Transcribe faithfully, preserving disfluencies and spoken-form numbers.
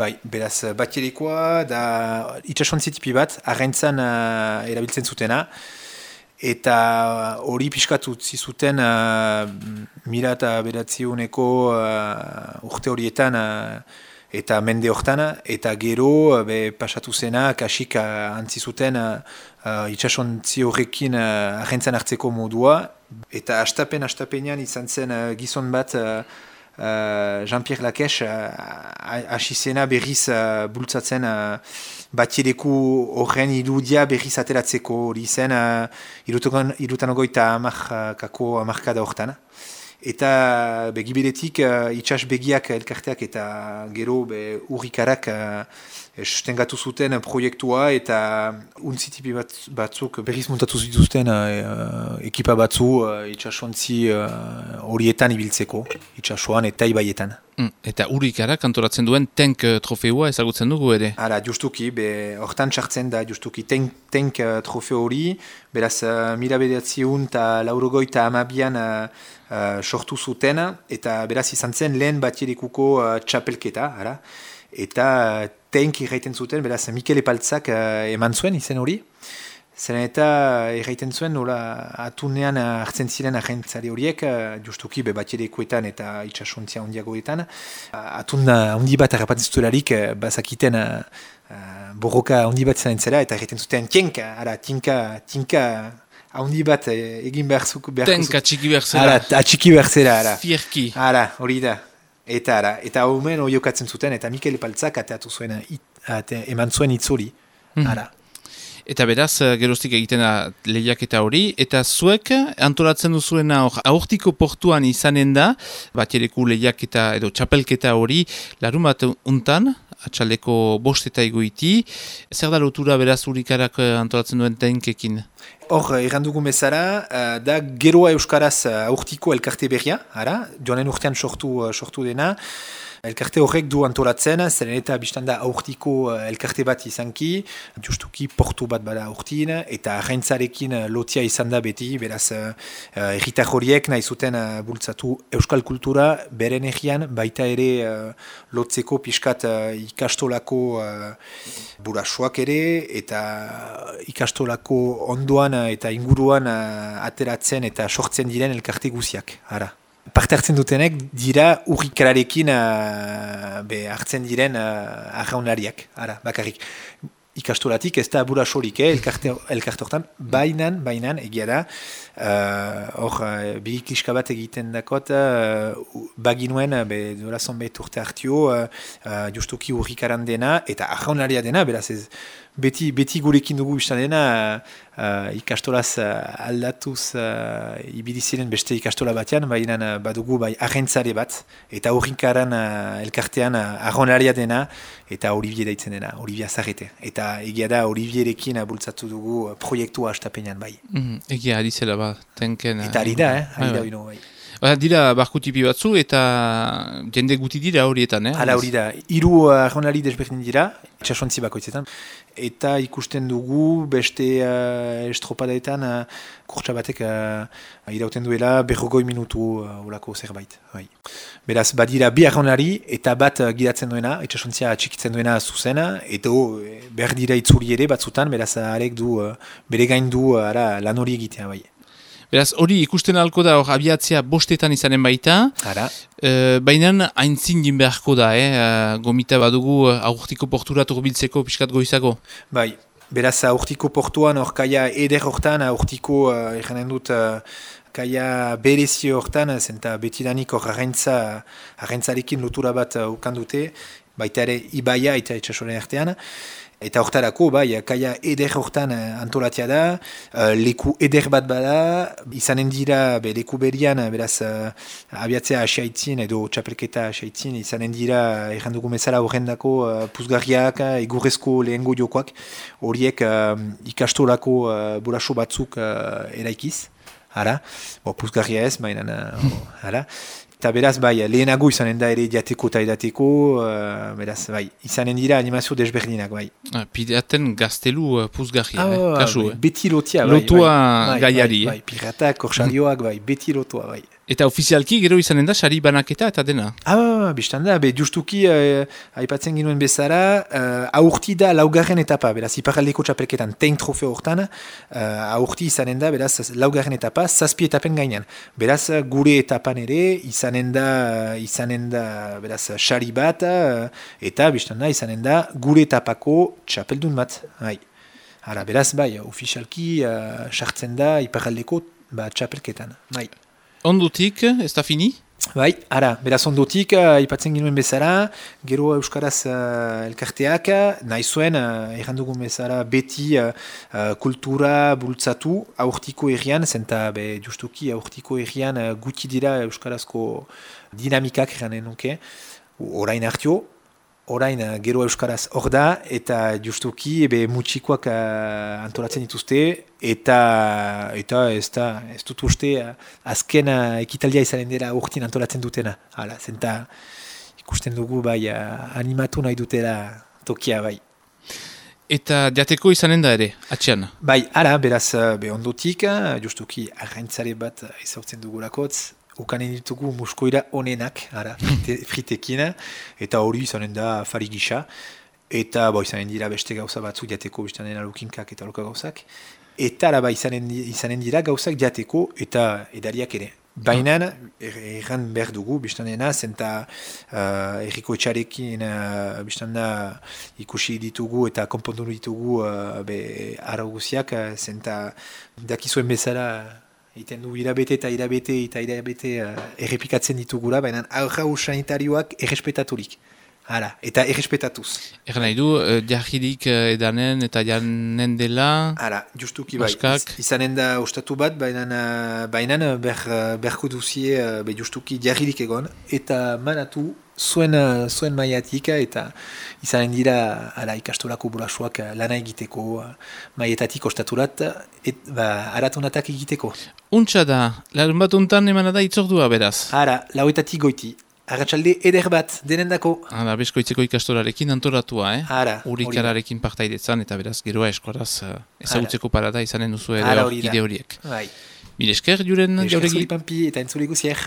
Bai, beraz, batierekoa da itsasontzi tipi bat, arraintzan uh, erabiltzen zutena, eta hori pixkatu zizuten uh, mila eta beratziuneko uh, urte horietan uh, eta mende hortan, eta gero be, pasatu zena, kasik uh, antzizuten uh, uh, itsasontzi horrekin uh, arraintzan hartzeko modua, eta astapen astapenean izan zen uh, gizon bat uh, Uh, Jean-Pierre Lakesh hasi uh, zena berriz uh, bultzatzen uh, batiereku horren irudia berriz ateratzeko hori zen uh, irutan ogoita amarkako amarkada hortan. Eta begiberetik uh, itxas begiak elkarteak eta gero be, urrikarak uh, sustengatu zuten proiektua eta untzitipi bat, batzuk berriz muntatu zituzten uh, ekipa batzu uh, itxasontzi horietan uh, ibiltzeko, itxasoan eta ibaietan. Mm, eta urrikarak antolatzen duen tank uh, trofeua ezagutzen dugu ere? Hala, justuki, be, hortan txartzen da justuki tank, tank uh, trofeo hori, beraz uh, mila bederatziehun eta laurogeita hamabian uh, Uh, sortu zuten, eta beraz izan zen lehen batierekuko uh, txapelketa, ara? Eta uh, tenk irraiten zuten, beraz Mikel Epaltzak uh, eman zuen izen hori, zeren eta irraiten zuen nola atunean uh, hartzen ziren agentzari horiek, uh, justuki be batierekuetan eta itxasontzia hondiagoetan, uh, atun uh, hondi bat harrapatzen zutelarik, uh, bazakiten uh, uh, borroka hondi bat izan zela, eta irraiten zuten tinka, ara, tinka, tinka, haundi bat egin behar zuko behar Tenka atxiki behar zera. Ara, atxiki behar zera, ara. Fierki. Ara, hori da. Eta ara, eta homen oiokatzen zuten, eta Mikel Epaltzak ateatu zuen, it, ate, eman zuen itzuri. Ara. Eta beraz, geroztik egiten da lehiaketa hori, eta zuek antolatzen duzuena aurtiko portuan izanen da, batiereku lehiaketa edo txapelketa hori, larun bat untan, atxaldeko bost eta egoiti, zer da lotura beraz urrikarak antolatzen duen tenkekin? Hor, errandugun bezala, uh, da geroa euskaraz uh, aurtiko elkarte berria, ara, joanen urtean sortu, uh, sortu dena, elkarte horrek du antolatzen, zeren eta biztanda aurtiko uh, elkarte bat izanki, justuki portu bat bada aurtin, eta arraintzarekin uh, lotia izan da beti, beraz, uh, uh, erritar horiek nahi zuten uh, bultzatu euskal kultura, beren egian, baita ere uh, lotzeko pixkat uh, ikastolako uh, burasoak ere, eta ikastolako ondoan uh, eta inguruan uh, ateratzen eta sortzen diren elkarte guziak, ara. Parte hartzen dutenek dira urrikararekin uh, be hartzen diren uh, arraunlariak, ara, bakarrik. Ikastolatik ez da burasorik, eh, elkarte, elkarte hortan, bainan, bainan, egia da, hor, uh, bi kiska bat egiten dakot, uh, baginuen, be, dola zonbait urte hartio, uh, uh, justuki urrikaran dena, eta arraunlaria dena, beraz ez, beti, beti gurekin dugu biztan dena, uh, ikastolaz uh, aldatuz uh, ibili ziren beste ikastola batean, baina uh, badugu bai arrentzare bat, eta urrikaran uh, elkartean uh, arraunlaria dena, eta Olivier daitzen dena, Olivier Zarrete. Eta egia da Olivierekin bultzatu dugu uh, proiektua astapenean bai. Mm, egia, ari zela ba, tenken... Eta ari da, eh? Ari da bino bai. Ba, dira barkutipi batzu eta jende guti dira horietan, eh? Hala hori da. Hiru arraunlari desberdin dira, itsasontzi bakoitzetan. Eta ikusten dugu beste uh, estropadaetan uh, kurtsa batek uh, irauten duela berrogoi minutu uh, olako zerbait. Bai. Beraz, badira bi arraunlari eta bat uh, gidatzen duena, itsasontzia txikitzen duena zuzena, eta uh, behar dira itzuli ere batzutan, beraz, arek du, uh, bere gain du uh, ara, lan hori egitea bai. Beraz, hori ikusten alko da, hor abiatzea bostetan izanen baita, e, baina haintzin din beharko da, eh? Gomita badugu aurtiko portura turbiltzeko pixkat goizako. Bai, beraz aurtiko portuan hor kaia eder hortan, aurtiko, uh, eranen dut, uh, kaia berezio hortan, zenta betidanik hor arrentza, arrentzarekin lotura bat uh, ukandute, baita ere ibaia eta itsasoren artean. Eta hortarako, bai, kaia eder hortan antolatia da, uh, leku eder bat bada, izanen dira be, leku berian, beraz, uh, abiatzea asiaitzin edo txapelketa asiaitzin, izanen dira, errandugu mezala horrendako uh, puzgarriak, egurrezko lehengo jokoak, horiek uh, ikastolako uh, buraso batzuk uh, eraikiz, ara, bo, puzgarria ez, baina, uh, ara. Eta beraz, bai, lehenago izanen da ere diateko eta edateko, uh, beraz, bai, izanen dira animazio desberdinak, bai. Ah, pideaten gaztelu uh, puzgarria, ah, eh? Kasu, bai, eh? Beti lotia, bai. Lotua bai, gaiari, bai, bai, piratak, korsarioak, bai, beti lotua, bai. Eta ofizialki gero izanen da sari banaketa eta dena. Ah, biztan da, be, justuki, uh, aipatzen ginuen bezala, uh, aurti da laugarren etapa, beraz, iparaldeko txapelketan, tein trofeo hortan, uh, aurti izanen da, beraz, laugarren etapa, zazpi etapen gainean. Beraz, gure etapan ere, izanen da, izanen da, beraz, sari bat, uh, eta biztan da, izanen da, gure etapako txapeldun bat. Hai. Hala, beraz, bai, ofizialki, uh, sartzen da, iparaldeko ba, txapelketan. Bai. Ondutik, ez da fini? Bai, ara, beraz ondotik, uh, ipatzen ginuen bezala, gero Euskaraz uh, elkarteak, nahi zuen, uh, errandugun bezala, beti uh, uh, kultura bultzatu aurtiko herrian, zenta be, justuki aurtiko herrian uh, guti dira Euskarazko dinamikak erranen nuke, orain hartio, orain uh, gero Euskaraz hor da, eta justuki ebe mutxikoak uh, antolatzen dituzte, eta eta ez da, ez dut uste uh, azken uh, ekitaldia izanen dela urtin antolatzen dutena. Hala, zenta ikusten dugu bai uh, animatu nahi dutela tokia bai. Eta jateko izanen da ere, atxean? Bai, ara, beraz, uh, be ondotik, uh, justuki arraintzare bat uh, izautzen dugulakotz, ukanen ditugu muskoira onenak, ara, frite, fritekin, eta hori izanen da fari gisa, eta bo, izanen dira beste gauza batzu jateko, biztanen alukinkak eta aluka gauzak, eta araba izanen, izanen dira gauzak jateko eta edariak ere. Baina, erran behar dugu, biztanena, zenta uh, erriko etxarekin uh, biztanda ikusi ditugu eta konpondu ditugu uh, be, araguziak, uh, zenta dakizuen bezala, iten du irabete eta irabete eta irabete uh, errepikatzen ditugula, baina aurrau sanitarioak errespetaturik. Hala, eta errespetatuz. Erra nahi du, uh, jarririk uh, edanen eta janen dela... Hala, justuki bai, iz, izanen da ostatu bat, baina uh, ber, berko duzie uh, be justuki jarririk egon, eta manatu zuen, uh, zuen maiatik, eta izanen dira ala, ikastolako burasuak uh, lana egiteko, uh, maietatik ostaturat, et, ba, aratonatak egiteko. Untsa da, larun bat untan emana da itzordua beraz. Hala, lauetatik goiti. Arratxalde eder bat, denendako. Hala, beskoitzeko ikastolarekin antolatua, eh? Ara, urikararekin partaidetzan, eta beraz, geroa eskoraz uh, ezagutzeko parada izanen duzu ere hor ide horiek. Bai. Mil esker, juren jauregi. Mil esker, zuri pampi, eta entzule guzier.